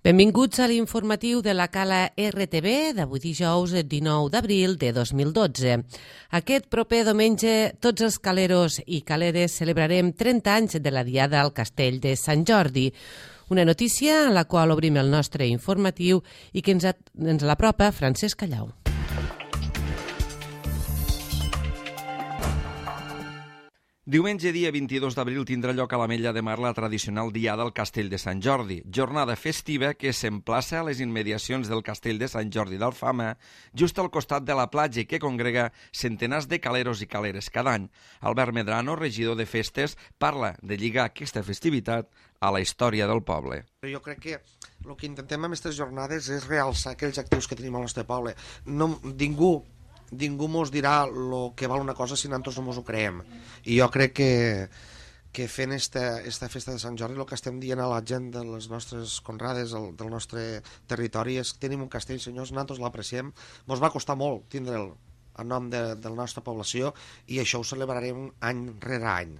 Benvinguts a l'informatiu de la Cala RTV d'avui dijous 19 d'abril de 2012. Aquest proper diumenge tots els caleros i caleres celebrarem 30 anys de la Diada al Castell de Sant Jordi. Una notícia en la qual obrim el nostre informatiu i que ens l'apropa Francesc Callau. Diumenge, dia 22 d'abril, tindrà lloc a l'Ametlla de Mar la tradicional Diada al Castell de Sant Jordi, jornada festiva que s'emplaça a les immediacions del Castell de Sant Jordi d'Alfama, just al costat de la platja i que congrega centenars de caleros i caleres cada any. Albert Medrano, regidor de festes, parla de lligar aquesta festivitat a la història del poble. Jo crec que el que intentem amb aquestes jornades és realçar aquells actius que tenim al nostre poble. Ningú mos dirà el que val una cosa si nosaltres no mos ho creem. I jo crec que fent esta festa de Sant Jordi el que estem dient a la gent de les nostres conrades del nostre territori és que tenim un castell, senyors, nosaltres l'apreciem. Mos va costar molt tindre'l en nom de la nostra població i això ho celebrarem any rere any.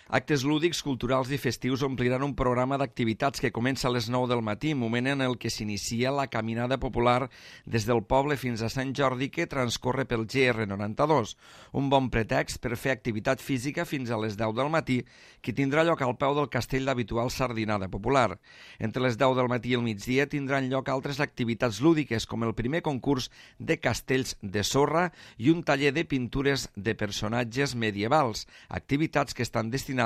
Actes lúdics, culturals i festius ompliran un programa d'activitats que comença a les 9 del matí, moment en el que s'inicia la caminada popular des del poble fins a Sant Jordi que transcorre pel GR92. Un bon pretext per fer activitat física fins a les 10 del matí, que tindrà lloc al peu del castell d'habitual sardinada popular. Entre les 10 del matí i el migdia tindran lloc altres activitats lúdiques, com el primer concurs de castells de sorra i un taller de pintures de personatges medievals, activitats que estan destinades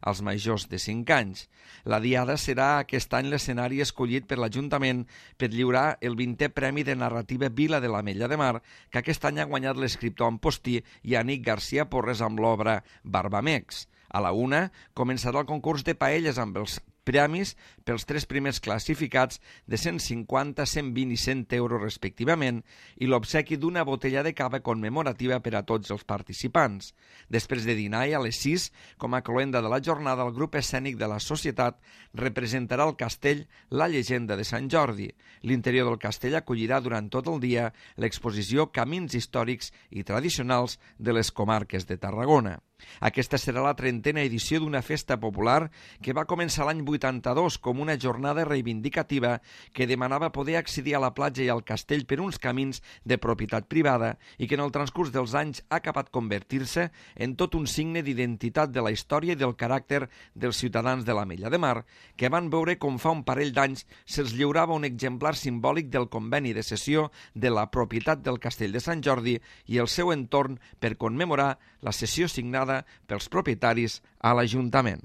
als majors de 5 anys. La Diada serà aquest any l'escenari escollit per l'Ajuntament per lliurar el 20è Premi de Narrativa Vila de l'Ametlla de Mar, que aquest any ha guanyat l'escriptor Ampostí i Anic García Porres amb l'obra Barbamex. A la 1 començarà el concurs de paelles amb els premis pels 3 primers classificats de 150, 120 i 100 euros respectivament i l'obsequi d'una botella de cava commemorativa per a tots els participants. Després de dinar i a les 6, com a cloenda de la jornada, el grup escènic de la societat representarà el castell La llegenda de Sant Jordi. L'interior del castell acollirà durant tot el dia l'exposició Camins històrics i tradicionals de les comarques de Tarragona. Aquesta serà la 30a edició d'una festa popular que va començar l'any 82 com una jornada reivindicativa que demanava poder accedir a la platja i al castell per uns camins de propietat privada i que en el transcurs dels anys ha acabat convertir-se en tot un signe d'identitat de la història i del caràcter dels ciutadans de l'Ametlla de Mar, que van veure com fa un parell d'anys se'ls lliurava un exemplar simbòlic del conveni de cessió de la propietat del castell de Sant Jordi i el seu entorn per commemorar la cessió signada pels propietaris a l'Ajuntament.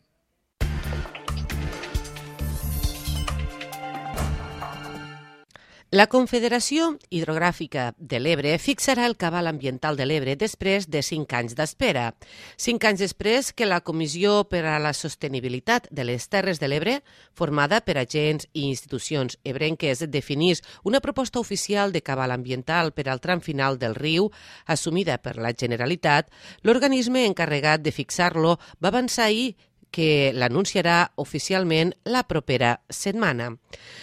La Confederació Hidrogràfica de l'Ebre fixarà el cabal ambiental de l'Ebre després de 5 anys d'espera. 5 anys després que la Comissió per a la Sostenibilitat de les Terres de l'Ebre, formada per agents i institucions ebrenques, definís una proposta oficial de cabal ambiental per al tram final del riu, assumida per la Generalitat, l'organisme encarregat de fixar-lo va avançar ahir que l'anunciarà oficialment la propera setmana.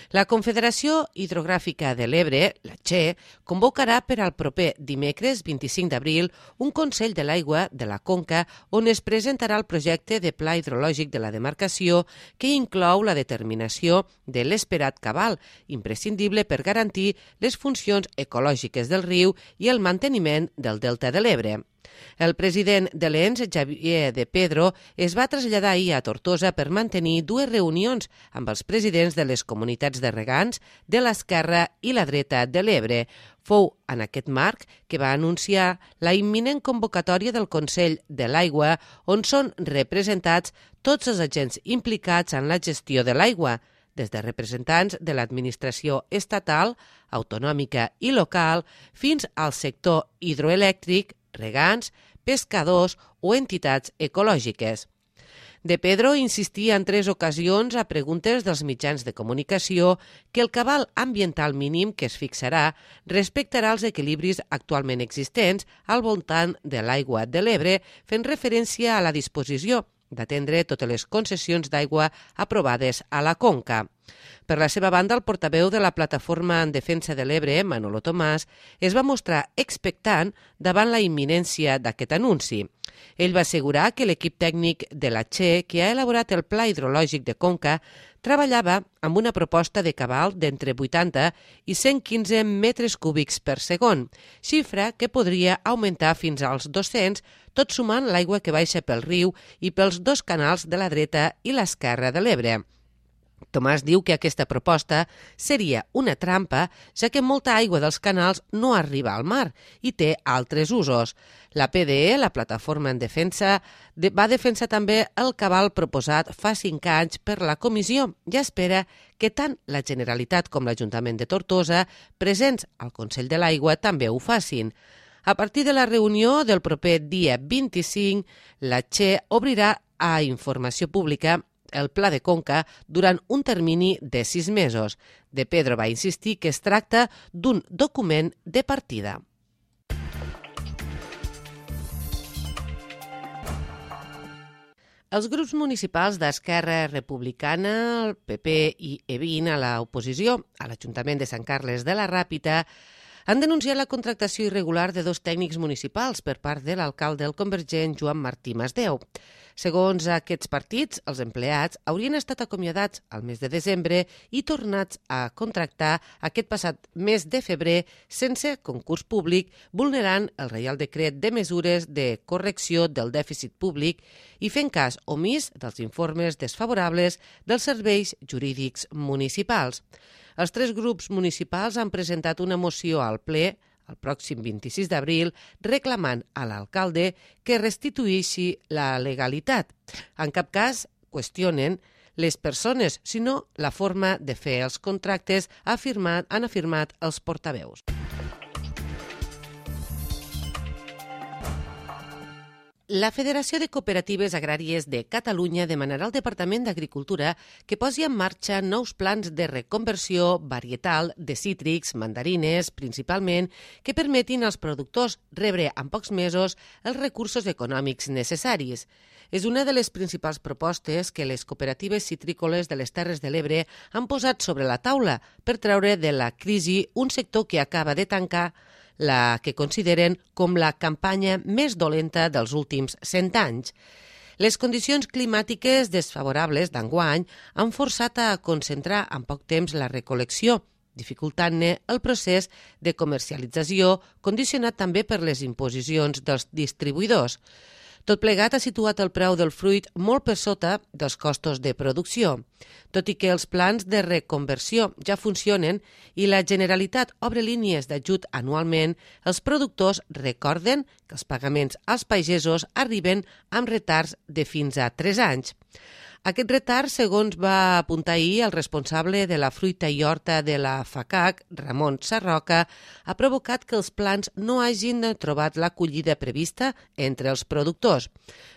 La Confederació Hidrogràfica de l'Ebre, la CHE, convocarà per al proper dimecres 25 d'abril un Consell de l'Aigua de la Conca on es presentarà el projecte de pla hidrològic de la demarcació que inclou la determinació de l'esperat cabal, imprescindible per garantir les funcions ecològiques del riu i el manteniment del delta de l'Ebre. El president de l'ENS, Xavier de Pedro, es va traslladar ahir a Tortosa per mantenir 2 reunions amb els presidents de les comunitats de regants de l'esquerra i la dreta de l'Ebre. Fou en aquest marc que va anunciar la imminent convocatòria del Consell de l'Aigua, on són representats tots els agents implicats en la gestió de l'aigua, des de representants de l'administració estatal, autonòmica i local, fins al sector hidroelèctric, regants, pescadors o entitats ecològiques. De Pedro insistia en 3 ocasions a preguntes dels mitjans de comunicació que el cabal ambiental mínim que es fixarà respectarà els equilibris actualment existents al voltant de l'aigua de l'Ebre, fent referència a la disposició d'atendre totes les concessions d'aigua aprovades a la conca. Per la seva banda, el portaveu de la Plataforma en Defensa de l'Ebre, Manolo Tomàs, es va mostrar expectant davant la imminència d'aquest anunci. Ell va assegurar que l'equip tècnic de la Che, que ha elaborat el Pla Hidrològic de Conca, treballava amb una proposta de cabal d'entre 80 i 115 metres cúbics per segon, xifra que podria augmentar fins als 200, tot sumant l'aigua que baixa pel riu i pels dos canals de la dreta i l'esquerra de l'Ebre. Tomàs diu que aquesta proposta seria una trampa, ja que molta aigua dels canals no arriba al mar i té altres usos. La PDE, la Plataforma en Defensa, va defensar també el cabal proposat fa 5 anys per la comissió i espera que tant la Generalitat com l'Ajuntament de Tortosa, presents al Consell de l'Aigua, també ho facin. A partir de la reunió del proper dia 25, la Che obrirà a informació pública el Pla de Conca durant un termini de 6 mesos. De Pedro va insistir que es tracta d'un document de partida. Els grups municipals d'Esquerra Republicana, el PP i EVIN a l'oposició a l'Ajuntament de Sant Carles de la Ràpita han denunciat la contractació irregular de 2 tècnics municipals per part de l'alcalde el convergent Joan Martí Masdeu. Segons aquests partits, els empleats haurien estat acomiadats al mes de desembre i tornats a contractar aquest passat mes de febrer sense concurs públic, vulnerant el Reial Decret de Mesures de Correcció del Dèficit Públic i fent cas omís dels informes desfavorables dels serveis jurídics municipals. Els 3 grups municipals han presentat una moció al ple el pròxim 26 d'abril, reclamant a l'alcalde que restituïssi la legalitat. En cap cas qüestionen les persones, sinó la forma de fer els contractes, han afirmat els portaveus. La Federació de Cooperatives Agràries de Catalunya demanarà al Departament d'Agricultura que posi en marxa nous plans de reconversió varietal de cítrics, mandarines, principalment, que permetin als productors rebre en pocs mesos els recursos econòmics necessaris. És una de les principals propostes que les cooperatives citrícoles de les Terres de l'Ebre han posat sobre la taula per treure de la crisi un sector que acaba de tancar la que consideren com la campanya més dolenta dels últims 100 anys. Les condicions climàtiques desfavorables d'enguany han forçat a concentrar en poc temps la recol·lecció, dificultant-ne el procés de comercialització, condicionat també per les imposicions dels distribuïdors. Tot plegat ha situat el preu del fruit molt per sota dels costos de producció. Tot i que els plans de reconversió ja funcionen i la Generalitat obre línies d'ajut anualment, els productors recorden que els pagaments als pagesos arriben amb retards de fins a 3 anys. Aquest retard, segons va apuntar ahir el responsable de la fruita i horta de la FACAC, Ramon Sarroca, ha provocat que els plans no hagin trobat l'acollida prevista entre els productors.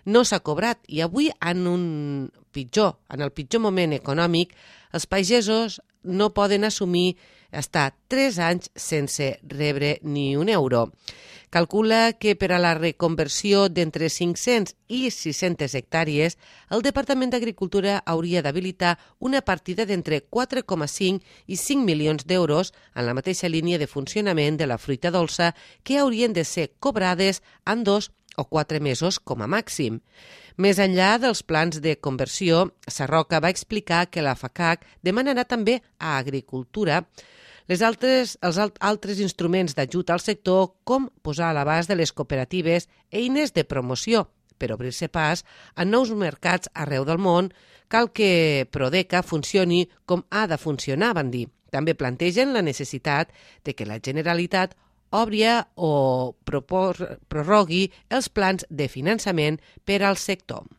No s'ha cobrat i avui, en el pitjor moment econòmic, els pagesos no poden assumir estar 3 anys sense rebre ni un euro. Calcula que per a la reconversió d'entre 500 i 600 hectàrees, el Departament d'Agricultura hauria d'habilitar una partida d'entre 4,5 i 5 milions d'euros en la mateixa línia de funcionament de la fruita dolça que haurien de ser cobrades en 2 o 4 mesos com a màxim. Més enllà dels plans de conversió, Sarroca va explicar que la FACAC demanarà també a Agricultura els altres instruments d'ajut al sector, com posar a l'abast de les cooperatives eines de promoció per obrir-se pas a nous mercats arreu del món. Cal que Prodeca funcioni com ha de funcionar, van dir. També plantegen la necessitat de que la Generalitat obri o prorrogui els plans de finançament per al sector.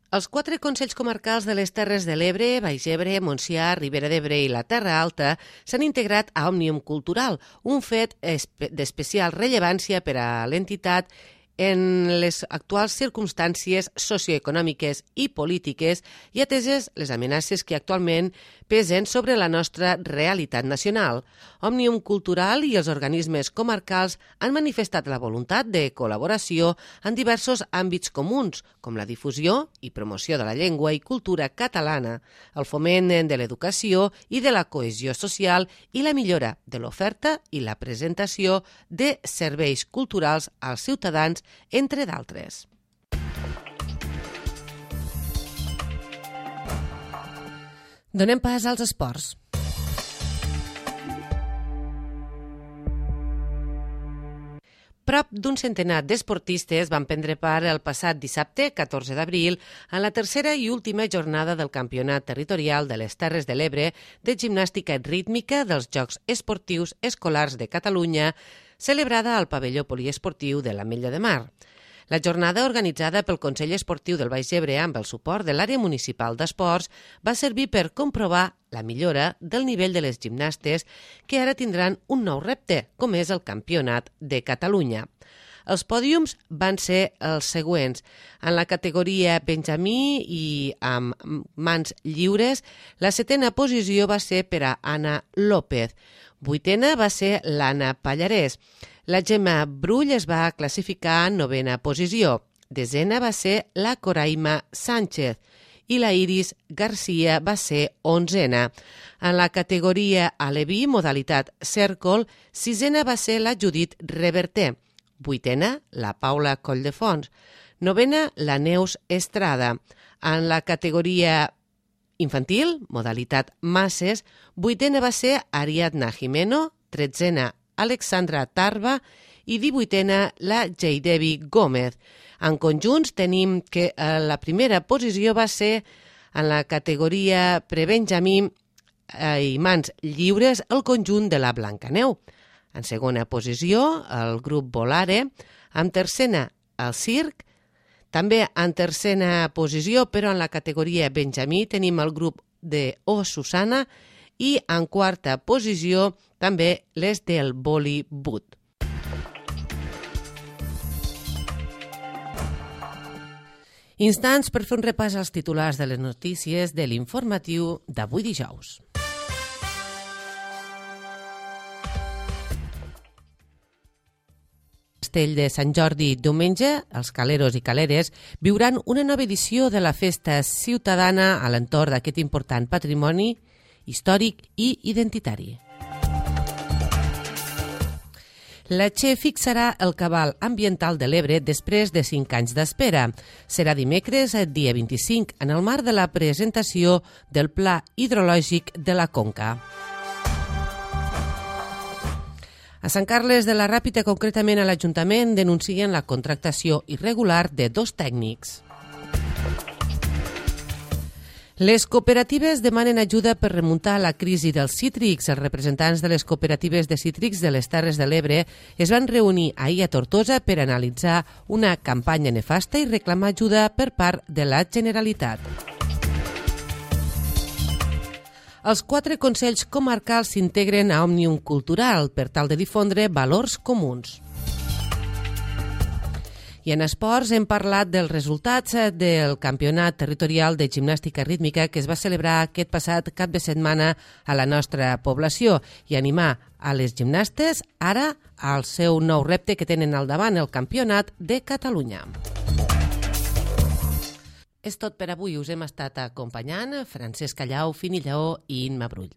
Els 4 consells comarcals de les Terres de l'Ebre, Baix Ebre, Montsià, Ribera d'Ebre i la Terra Alta s'han integrat a Òmnium Cultural, un fet d'especial rellevància per a l'entitat en les actuals circumstàncies socioeconòmiques i polítiques i ateses les amenaces que actualment pesen sobre la nostra realitat nacional. Òmnium Cultural i els organismes comarcals han manifestat la voluntat de col·laboració en diversos àmbits comuns, com la difusió i promoció de la llengua i cultura catalana, el foment de l'educació i de la cohesió social i la millora de l'oferta i la presentació de serveis culturals als ciutadans, entre d'altres. Donem pas als esports. Prop d'un centenar d'esportistes van prendre part el passat dissabte, 14 d'abril, en la tercera i última jornada del Campionat Territorial de les Terres de l'Ebre de gimnàstica rítmica dels Jocs Esportius Escolars de Catalunya, celebrada al pavelló poliesportiu de l'Ametlla de Mar. La jornada, organitzada pel Consell Esportiu del Baix Ebre amb el suport de l'àrea municipal d'esports, va servir per comprovar la millora del nivell de les gimnastes que ara tindran un nou repte, com és el Campionat de Catalunya. Els pòdiums van ser els següents. En la categoria Benjamí i amb mans lliures, la 7a posició va ser per a Anna López. 8a va ser l'Anna Pallarès. La Gemma Brull es va classificar en 9a posició. 10a va ser la Coraima Sánchez i la Iris Garcia va ser 11a. En la categoria Aleví, modalitat cèrcol, 6a va ser la Judit Reverter. 8a, la Paula Colldefons. 9a, la Neus Estrada. En la categoria infantil, modalitat masses, 8a va ser Ariadna Jimeno, 13a Alexandra Tarba i 18a la Jaidevi Gómez. En conjunts tenim que la primera posició va ser en la categoria prebenjamí i mans lliures el conjunt de la Blancaneu. En segona posició el grup Volare, en tercera el Circ, també en tercera posició, però en la categoria benjamí tenim el grup de O Susana i en quarta posició també les del Bollywood. Instants per fer un repàs als titulars de les notícies de l'informatiu d'avui dijous. Castell de Sant Jordi, diumenge, els caleros i caleres viuran una nova edició de la festa ciutadana a l'entorn d'aquest important patrimoni històric i identitari. La Che fixarà el cabal ambiental de l'Ebre després de 5 anys d'espera. Serà dimecres, dia 25, en el marc de la presentació del Pla Hidrològic de la Conca. A Sant Carles de la Ràpita, concretament a l'Ajuntament, denuncien la contractació irregular de 2 tècnics. Les cooperatives demanen ajuda per remuntar la crisi dels cítrics. Els representants de les cooperatives de cítrics de les Terres de l'Ebre es van reunir ahir a Tortosa per analitzar una campanya nefasta i reclamar ajuda per part de la Generalitat. Els 4 consells comarcals s'integren a Òmnium Cultural per tal de difondre valors comuns. I en esports hem parlat dels resultats del Campionat Territorial de Gimnàstica Rítmica que es va celebrar aquest passat cap de setmana a la nostra població i animar a les gimnastes ara al seu nou repte que tenen al davant, el Campionat de Catalunya. És tot per avui. Us hem estat acompanyant Francesc Callau, Fini Lleó i Imma Brull.